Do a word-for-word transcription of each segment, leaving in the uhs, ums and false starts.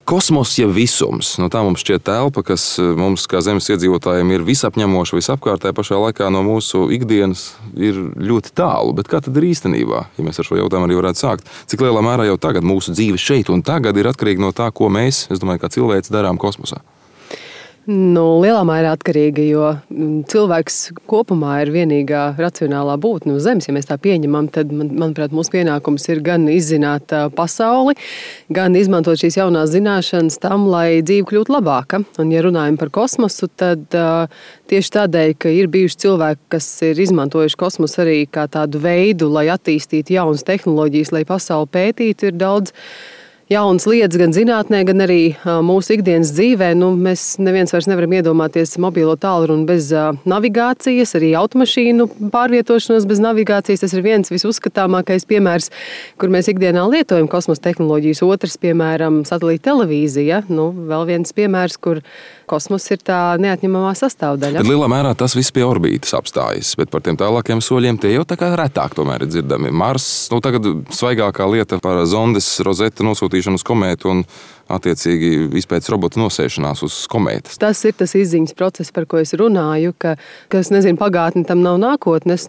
Kosmos jau visums. Nu, tā mums šķiet telpa, kas mums, kā zemes iedzīvotājiem, ir visapņemoša, visapkārtējā pašā laikā no mūsu ikdienas ir ļoti tālu. Bet kā tad ir īstenībā, ja mēs ar šo jautājumu arī varētu sākt? Cik lielā mērā jau tagad mūsu dzīve šeit un tagad ir atkarīga no tā, ko mēs, es domāju, kā cilvēks darām kosmosā? Nu, lielā mērā atkarīga, jo cilvēks kopumā ir vienīgā racionālā būtne uz Zemes. Ja mēs tā pieņemam, tad, man, manuprāt, mūsu pienākums ir gan izzināt pasauli, gan izmantot šīs jaunās zināšanas tam, lai dzīve kļūtu labāka. Un, ja runājam par kosmosu, tad tieši tādēļ, ka ir bijuši cilvēki, kas ir izmantojuši kosmosu arī kā tādu veidu, lai attīstītu jaunas tehnoloģijas, lai pasauli pētītu, ir daudz jaunas lietas gan zinātnē, gan arī mūsu ikdienas dzīvē. Nu, mēs neviens vairs nevaram iedomāties mobilo tālruni bez navigācijas, arī automašīnu pārvietošanos bez navigācijas. Tas ir viens visuzskatāmākais piemērs, kur mēs ikdienā lietojam kosmosa tehnoloģijas. Otrs, piemēram, satelīta televīzija. Nu, vēl viens piemērs, kur kosmos ir tā neatņemamā sastāvdaļa. Tad lielā mērā tas viss pie orbītas apstājas, bet par tiem tālākiem soļiem tie jau tā kā retāk tomēr ir dzirdami. Mars, nu tagad svaigākā lieta par zondes Rosetta nosūtīšanu uz komētu un attiecīgi izpētes robota nosēšanās uz komētas. Tas ir tas izziņas process, par ko es runāju, ka, kas, nezinu, pagātne tam nav nākotnes.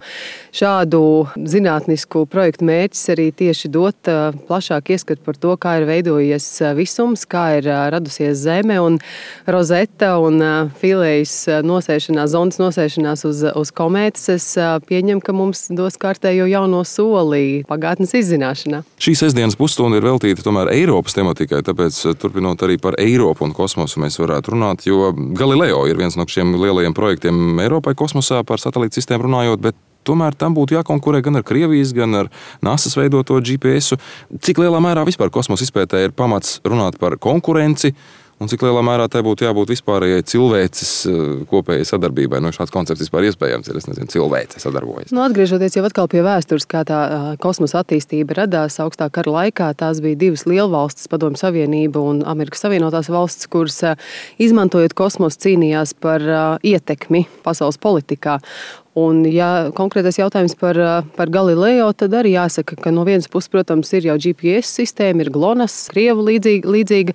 Šādu zinātnisku projektu mērķis arī tieši dot plašāk ieskatu par to, kā ir veidojies visums, kā ir radusies Zeme un Rosetta un Philaejas nosēšanās, zondes nosēšanās uz, uz komētas. Es pieņemu, ka mums dos kārtējo jauno soli pagātnes izzināšanā. Šī sestdienas pusstunda ir veltīta tomēr Eiropas tematikai, tāpēc turpinot arī par Eiropu un kosmosu mēs varētu runāt, jo Galileo ir viens no šiem lielajiem projektiem Eiropai kosmosā par satelītu sistēmu runājot, bet tomēr tam būtu jākonkurē gan ar Krievijas, gan ar NASA's veidoto G P S-u. Cik lielā mērā vispār kosmosa izpētē ir pamats runāt par konkurenci un cik lielā mērā tai būtu jābūt vispārējai cilvēces kopējai sadarbībai? No šāds koncepts vispār iespējams ir, es nezinu, cilvēce sadarbojas. Nu, atgriežoties jau atkal pie vēstures, kā tā kosmosa attīstība radās augstā kara laikā, tās bija divas lielvalstis, Padomju Savienība un Amerikas Savienotās valstis, kuras izmantojot kosmosu cīnījās par ietekmi pasaules politikā. Un, ja konkrētais jautājums par, par Galileo, tad arī jāsaka, ka no vienas puses, protams, ir jau G P S sistēma, ir GLONASS, Krievu līdzīga, līdzīga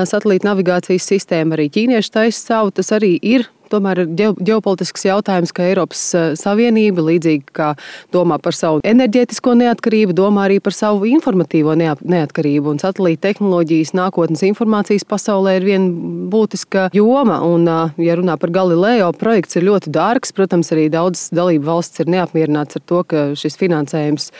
satelīta navigācijas sistēma, arī ķīnieši taisa savu, tas arī ir. Tomēr ir ģeopolitisks jautājums, ka Eiropas Savienība, līdzīgi kā domā par savu enerģētisko neatkarību, domā arī par savu informatīvo neatkarību. Un satelīta tehnoloģijas nākotnes informācijas pasaulē ir viena būtiska joma. Un, ja runā par Galileo, projekts ir ļoti dārgs. Protams, arī daudz dalību valsts ir neapmierināts ar to, ka šis finansējums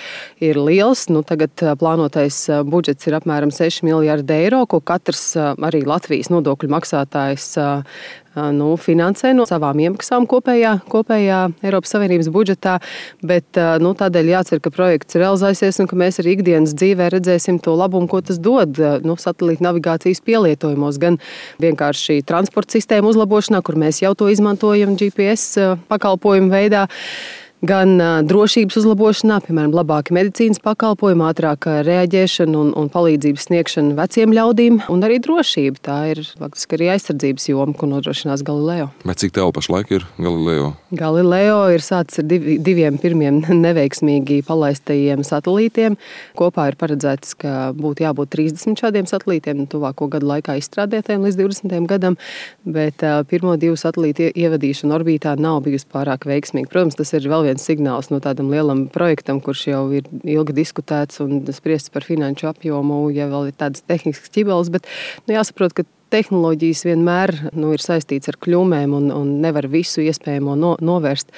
ir liels. Nu, tagad plānotais budžets ir apmēram seši miljardi eiro, ko katrs arī Latvijas nodokļu maksātājs nu, finansē no savām iemaksām kopējā, kopējā Eiropas Savienības budžetā, bet nu, tādēļ jācer, ka projekts realizēsies un ka mēs arī ikdienas dzīvē redzēsim to labumu, ko tas dod nu, satelīta navigācijas pielietojumos, gan vienkārši transporta sistēmu uzlabošanā, kur mēs jau to izmantojam G P S pakalpojumu veidā, gan drošības uzlabošanā, piemēram, labāki medicīnas pakalpojumi, ātrāka reaģēšana un, un palīdzības sniegšana veciem ļaudīm, un arī drošība. Tā ir faktiski arī aizsardzības joma, ko nodrošinās Galileo. Bet cik tev pašlaik ir Galileo? Galileo ir sācis ar div, diviem pirmiem neveiksmīgi palaistajiem satelītiem. Kopā ir paredzēts, ka būtu jābūt trīsdesmit šādiem satelītiem tuvāko gadu laikā izstrādētiem līdz divdesmitajam gadam, bet pirmo divu satelītu ievadīšana orbītā nav bijusi pārāk veiksmīga. Protams, tas ir vēl viens signāls no tādam lielam projektam, kurš jau ir ilgi diskutēts un spriests par finanšu apjomu, ja vēl ir tādas tehniskas ķibeles, bet nu, jāsaprot, ka tehnoloģijas vienmēr nu, ir saistīts ar kļūmēm un, un nevar visu iespējamo no, novērst,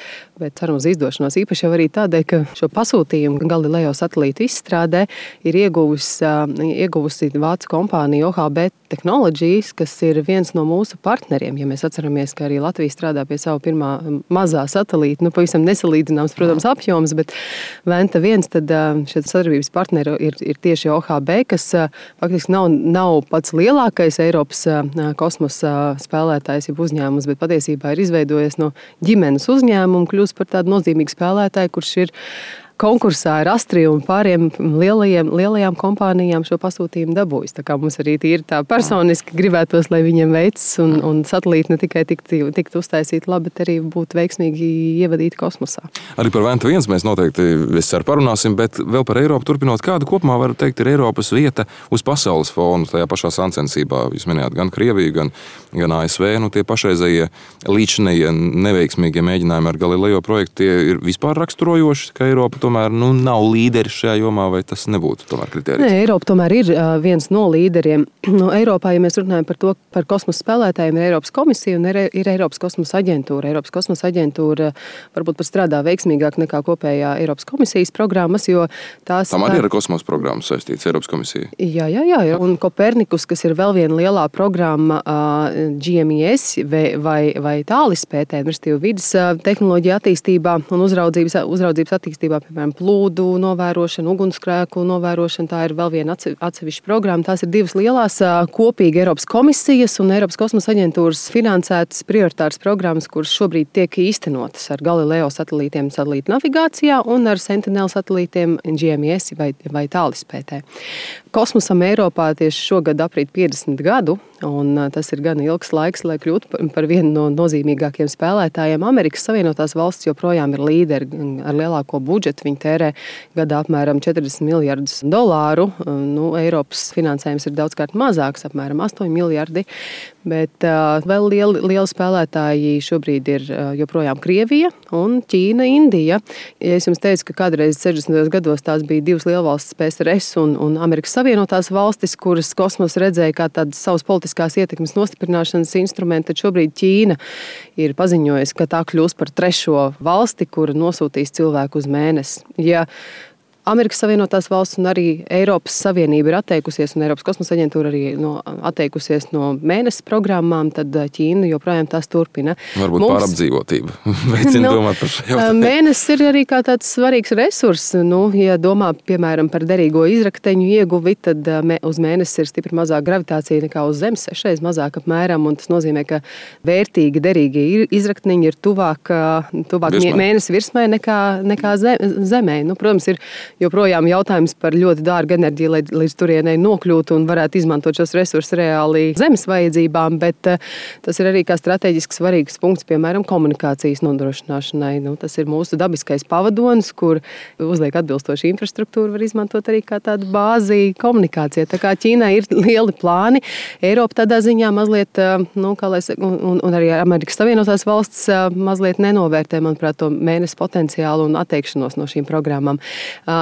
bet ceram uz izdošanos. Īpaši jau arī tādēļ, ka šo pasūtījumu Galileo satelītu izstrādē ir ieguvusi, ieguvusi vācu kompānija O H B Technologies, kas ir viens no mūsu partneriem. Ja mēs atceramies, ka arī Latvija strādā pie savu pirmā mazā satelīta, nu pavisam nesalīdzināms, protams, apjoms, bet Venta viens, tad šie sadarbības partneri ir, ir tieši O H B, kas faktiski nav, nav pats lielākais Eiropas kosmosa spēlētājs, jeb uzņēmums, bet patiesībā ir izveidojies no ģimenes uzņēmumu, kļūst par tādu nozīmīgu spēlētāju, kurš ir konkursā ar Astriju un pāriem lielajiem, lielajām kompānijām šo pasūtījumu dabūjis. Tā kā mums arī tīri tā personiski gribētos, lai viņiem veicas un, un satelīti ne tikai tiktu tikt uztaisīti labi, bet arī būtu veiksmīgi ievadīti kosmosā. Arī par Venta viens mēs noteikti viscer parunāsim, bet vēl par Eiropu turpinot, kādu kopumā var teikt ir Eiropas vieta uz pasaules fonu tajā pašā sacensībā. Jūs minējāt gan Krieviju, gan, gan A S V, nu tie pašreizējie līdšanējie neveiksmīgie mēģinājumi ar Galileo projektu, tie ir vispār raksturojoši, ka Eiropa tomēr nu, nav līderis šajā jomā, vai tas nebūtu tomēr kritērijs? Nē, Eiropa tomēr ir uh, viens no līderiem. No Eiropā, ja mēs runājam par to, par kosmosa spēlētājiem, ir Eiropas komisija un ir, ir Eiropas kosmosa aģentūra. Eiropas kosmosa aģentūra varbūt pat strādā veiksmīgāk nekā kopējā Eiropas komisijas programmas, jo tās... Tam arī ir kosmosa programmas saistīts Eiropas komisija. Jā, jā, jā. Un Kopernikus, kas ir vēl viena lielā programma uh, G M E S vai, vai, vai tālispētē, restīvi vidas uh, tehnoloģija attīstībā un uzraudzības, uzraudzības attīstībā, piemēram, plūdu novērošana, ugunsgrēku novērošana, tā ir vēl viena atsevišķa programma. Tās ir divas lielās uh, kopīgi Eiropas komisijas un Eiropas kosmosa aģentūras finansētas prioritāras programmas, kuras šobrīd tiek īstenotas ar Galileo satelītiem satelītu navigācijā un ar Sentinel satelītiem G M E S vai, vai tālispētē. Kosmosam Eiropā tieši šogad aprīt piecdesmit gadu, un tas ir gan ilgs laiks, lai kļūtu par vienu no nozīmīgākiem spēlētājiem. Amerikas Savienotās valstis joprojām ir līderi ar lielāko budžetu. Viņi tērē gadā apmēram četrdesmit miljardus dolāru. Nu, Eiropas finansējums ir daudzkārt mazāks, apmēram astoņi miljardi. Bet uh, vēl lieli, lieli spēlētāji šobrīd ir uh, joprojām Krievija un Ķīna, Indija. Ja es jums teicu, ka kādreiz sešdesmitajos gados tās bija divas lielvalstis P S R S un, un Amerikas Savienotās valstis, kuras kosmos redzēja kā tādas savas politiskās ietekmes nostiprināšanas instrumentu, tad šobrīd Ķīna ir paziņojusi, ka tā kļūs par trešo valsti, kura nosūtīs cilvēku uz mēnesi. Ja Amerikas Savienotās valsts un arī Eiropas Savienība ir atteikusies, un Eiropas kosmosa aģentūra arī no, atteikusies no mēnesi programmām, tad Ķīna joprojām tās turpina. Varbūt Mums, pārapdzīvotība veicina no, domāt par šo jautājumu. Mēnesis ir arī kā tāds svarīgs resurs. Nu, ja domā, piemēram, par derīgo izrakteņu ieguvi, tad uz mēnesis ir stipri mazāk gravitācija nekā uz Zemes, sešreiz mazāk apmēram, un tas nozīmē, ka vērtīgi derīgie izrakteņi ir tuvāk, tuvāk mēnesi virsmai nekā, nekā Zemē. Nu, protams, ir joprojām jautājums par ļoti dārgu enerģiju, lai līdz turienei nokļūtu un varētu izmantot šos resursus reāli zemes vajadzībām, bet tas ir arī kā strateģiski svarīgs punkts, piemēram, komunikācijas nodrošināšanai. Nu, tas ir mūsu dabiskais pavadonis, kur uzliek atbilstoši infrastruktūru, var izmantot arī kā tādu bāzi komunikācijai. Tā kā Ķīnai ir lieli plāni, Eiropa tādā ziņā mazliet, nu, kā lai saka, un, un arī Amerikas Savienotās valsts mazliet nenovērtē, manuprāt, to mēnesi potenciālu un atteikšanos no šīm programmām.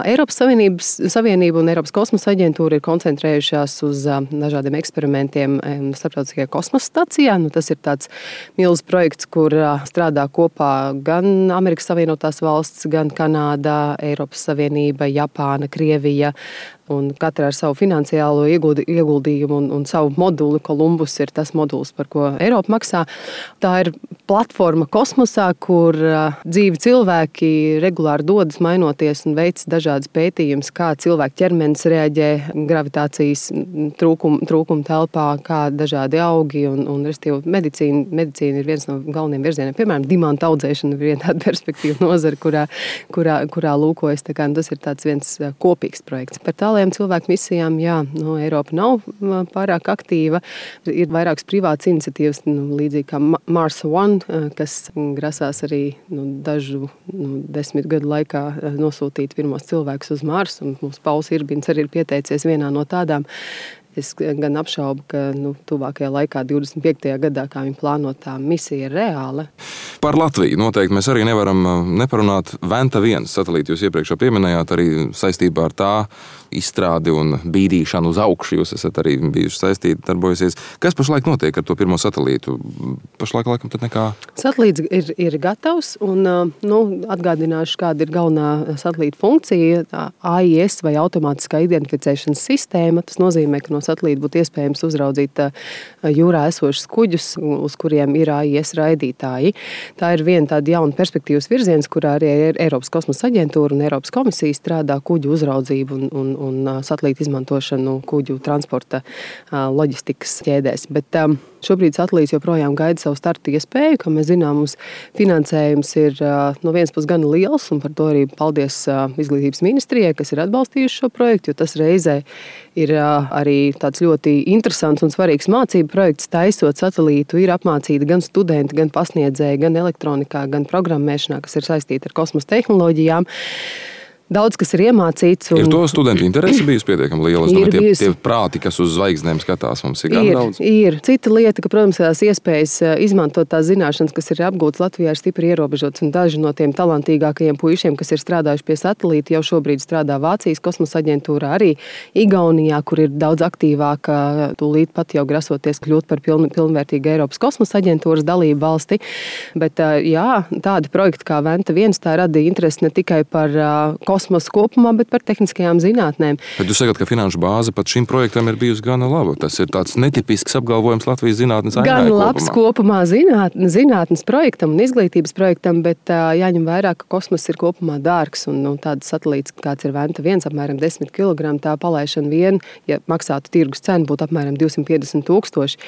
Eiropas Savienības, Savienība un Eiropas kosmosa aģentūra ir koncentrējušās uz dažādiem eksperimentiem starptautiskajā kosmosa stacijā. Nu, tas ir tāds milzīgs projekts, kur strādā kopā gan Amerikas Savienotās valsts, gan Kanāda, Eiropas Savienība, Japāna, Krievija. Un katra ar savu finansiālo ieguldījumu un, un savu moduli. Kolumbus ir tas modulis, par ko Eiropa maksā. Tā ir platforma kosmosā, kur dzīvi cilvēki regulāri dodas, mainoties un veic dažādas pētījumus, kā cilvēku ķermenis reaģē gravitācijas trūkumu, trūkumu telpā, kā dažādi augi un, un medicīna, medicīna ir viens no galvenajiem virzieniem. Piemēram, dimanta audzēšana ir viena tāda perspektīva nozara, kurā, kurā, kurā lūkojas. Tā kā, tas ir tāds viens kopīgs projekts. Par tālajām cilvēku misijām, jā, nu, Eiropa nav pārāk aktīva. Ir vairākas privātas iniciatīvas, nu, līdzīgi kā Mars One, kas grasās arī nu, dažu nu, desmit gadu laikā nosūtīt pirmos cilvēkus uz Marsu. Un mums Pauls Irbins arī ir pieteicies vienā no tādām. Es gan apšaubu, ka nu, tuvākajā laikā, divdesmit piektajā gadā, kā viņa plānotā misija ir reāla. Par Latviju noteikti mēs arī nevaram neparunāt. Venta viens satelīti jūs iepriekš pieminējāt, arī saistībā ar tā izstrādi un bīdīšanu uz augšu. Jūs esat arī bijuši saistīti, darbojusies. Kas pašlaik notiek ar to pirmo satelītu? Pašlaik laikam tad nekā? Satelīts ir, ir gatavs un nu, atgādināšu, kāda ir galvenā satelīta funkcija. A I S vai automātiskā identificēšanas sistēma. Tas nozīmē, ka no satelīta būtu iespējams uzraudzīt jūrā esošus kuģus, uz kuriem ir A I S raidītāji. Tā ir viena tāda jauna perspektīvas virziens, kurā arī Eiropas kosmosa aģentūra un Eiropas komisija strādā kuģu uzraudzību un, un, un satelīta izmantošanu kuģu transporta loģistikas ķēdēs. Bet, Šobrīd satelīts joprojām gaida savu startu iespēju, kā mēs zinām, mums finansējums ir no vienas puses gan liels, un par to arī paldies Izglītības ministrijai, kas ir atbalstījuši šo projektu, jo tas reizē ir arī tāds ļoti interesants un svarīgs mācību projekts. Taisot satelītu, ir apmācīti gan studenti, gan pasniedzēji, gan elektronikā, gan programmēšanā, kas ir saistīta ar kosmosa tehnoloģijām. Daudz, kas ir iemācīts. Un... Ir to studentu interese bijusi pietiekami liela. Es domāju, tie, bijusi... tie prāti, kas uz zvaigznēm skatās, mums ir gan ir, daudz. Ir. Cita lieta, ka, protams, tās iespējas izmantot tās zināšanas, kas ir apgūtas Latvijā, ir stipri ierobežotas. Un daži no tiem talantīgākajiem puišiem, kas ir strādājuši pie satelīta, jau šobrīd strādā Vācijas kosmosa aģentūrā, arī Igaunijā, kur ir daudz aktīvāka, tūlīt pat jau grasoties kļūt par piln, pilnvērtīgu Eiropas kosmosa aģentūras dalību valsti. Bet, jā, tādi projekti kā Venta viens, tā radīja interesi ne tikai par kosmosa kosmosu kopumā, bet par tehniskajām zinātnēm. Bet jūs sakat, ka finanšu bāze pat šim projektam ir bijusi gana laba. Tas ir tāds netipisks apgalvojums Latvijas zinātnes ainē kopumā. Gan labs kopumā zinātnes, zinātnes projektam un izglītības projektam, bet uh, jāņem vērā, ka kosmos ir kopumā dārgs un nu, tāds satelīts, kāds ir Venta viens, apmēram desmit kilogramu, tā palaišana vien, ja maksātu tirgus cenu, būtu apmēram divsimt piecdesmit tūkstoši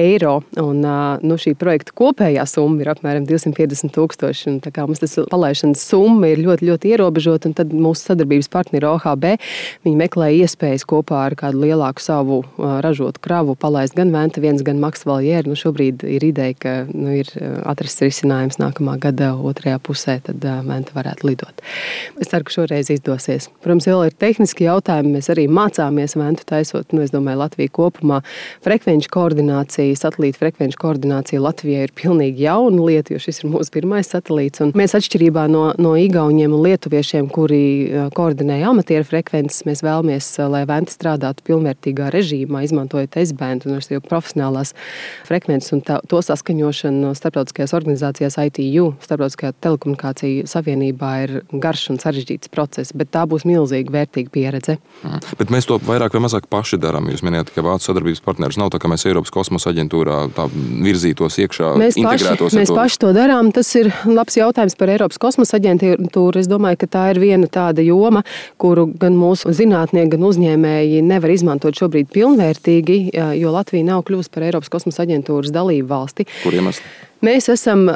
eiro. Un uh, nu, šī projekta kopējā summa ir apmēram divsimt piecdesmit tūkstoši. Un, tā kā mums tas palaišanas summa ir ļoti, ļoti ierobežota, un tad mūsu sadarbības partneri O H B, viņi meklē iespējas kopā ar kādu lielāku savu uh, ražotu kravu palaist gan Venta viens, gan Max Valliere. Nu, šobrīd ir ideja, ka nu, ir atrasts risinājums nākamā gada otrajā pusē, tad uh, Venta varētu lidot. Es ceru, ka šoreiz izdosies. Protams, vēl ir tehniski jautājumi. Mēs arī mācāmies Ventu taisot. Nu, es domāju, Latvija kopumā frekvenču koordinācija, satelīta frekvenču koordinācija Latvijai ir pilnīgi jauna lieta, jo šis ir mūsu pirmais satelīts. Un mēs atšķirībā no, no igauņiem un lietuviešiem, kuri koordinēja amatieru frekvences, mēs vēlamies, lai Venta strādātu pilnvērtīgā režīmā, izmantojot S-band un ar profesionālās frekvences un tā, to saskaņošanu starptautiskajās organizācijās I T U, Starptautiskajā telekomunikāciju savienībā, ir garš un sarežģīts process, bet tā būs milzīga vērtīga pieredze. Mm. Bet mēs to vairāk vai mazāk paši darām. Jūs minējāt, ka Vācu sadarbības partneris nav tā, ka mēs Eiropas kosmosa aģentūrā tā virzītos iekšā, mēs integrētos. Paši, mēs to... paši to darām. Tas ir labs jautājums par Eiropas kosmosa aģentūru. Es domāju, ka tā ir viena tāda joma, kuru gan mūsu zinātnieki, gan uzņēmēji nevar izmantot šobrīd pilnvērtīgi, jo Latvija nav kļuvusi par Eiropas kosmosa aģentūras dalību valsti. Kur iemesli? Mēs esam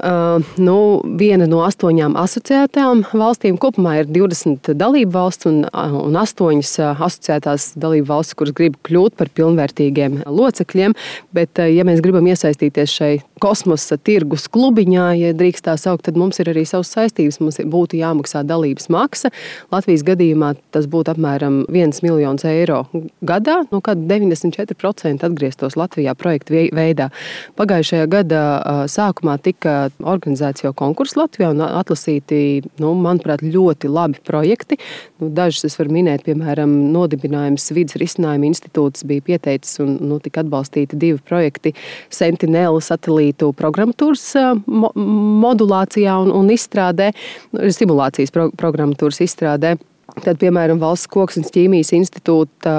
nu, viena no astoņām asociētām valstīm. Kopumā ir divdesmit dalību valsts un, un astoņas asociētās dalību valstis, kuras grib kļūt par pilnvērtīgiem locekļiem. Bet, ja mēs gribam iesaistīties šai kosmosa tirgus klubiņā, ja drīkst tā saukt, tad mums ir arī savas saistības. Mums būtu jāmaksā dalības maksa. Latvijas gadījumā tas būtu apmēram viens miljons eiro gadā, no kāda deviņdesmit četri procenti atgrieztos Latvijā projektu veidā. Pagājušajā gadā sākumā Sākumā tika organizēts jau konkurss Latvijā un atlasīti, nu, manuprāt, ļoti labi projekti. Nu, dažus es varu minēt, piemēram, nodibinājums Vides risinājuma institūts bija pieteicis un nu, tika atbalstīti divi projekti Sentinel satelītu programmatūras mo- modulācijā un, un izstrādē, simulācijas pro- programmatūras izstrādē. Tad, piemēram, Valsts koksnes ķīmijas institūta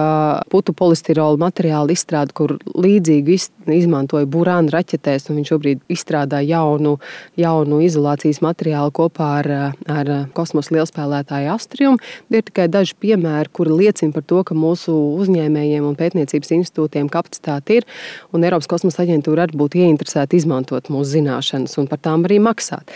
putu polistirola materiālu izstrāde, kur līdzīgi izmantoja burānu raķetēs, un viņš šobrīd izstrādā jaunu, jaunu izolācijas materiālu kopā ar, ar kosmosa lielspēlētāju Astrium. Ir tikai daži piemēri, kuri liecina par to, ka mūsu uzņēmējiem un pētniecības institūtiem kapacitāte ir, un Eiropas kosmosa aģentūra arī būtu ieinteresēta izmantot mūsu zināšanas un par tām arī maksāt.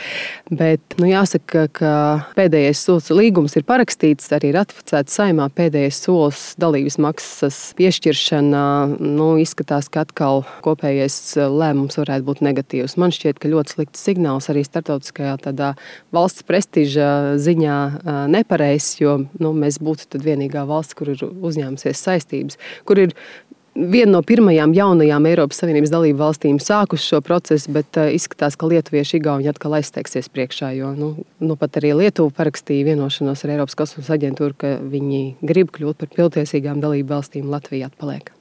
Bet, nu, jāsaka, ka pēdējais solis līgums ir parakstīts, arī ratificēts Saeimā. Pēdējais solis dalības maksas piešķiršana, nu, izskatās, ka atkal kopējais lēmums varētu būt negatīvs. Man šķiet, ka ļoti slikts signāls arī starptautiskajā tādā valsts prestiža ziņā nepareizs, jo nu, mēs būtu tad vienīgā valsts, kur ir uzņēmusies saistības, kur ir viena no pirmajām jaunajām Eiropas Savienības dalību valstīm sākus šo procesu, bet uh, izskatās, ka lietuvieši igauņi atkal aizsteigsies priekšā, jo nu, nu pat arī Lietuva parakstīja vienošanos ar Eiropas kosmosa aģentūru, ka viņi grib kļūt par pilntiesīgām dalību valstīm, Latvija atpaliek.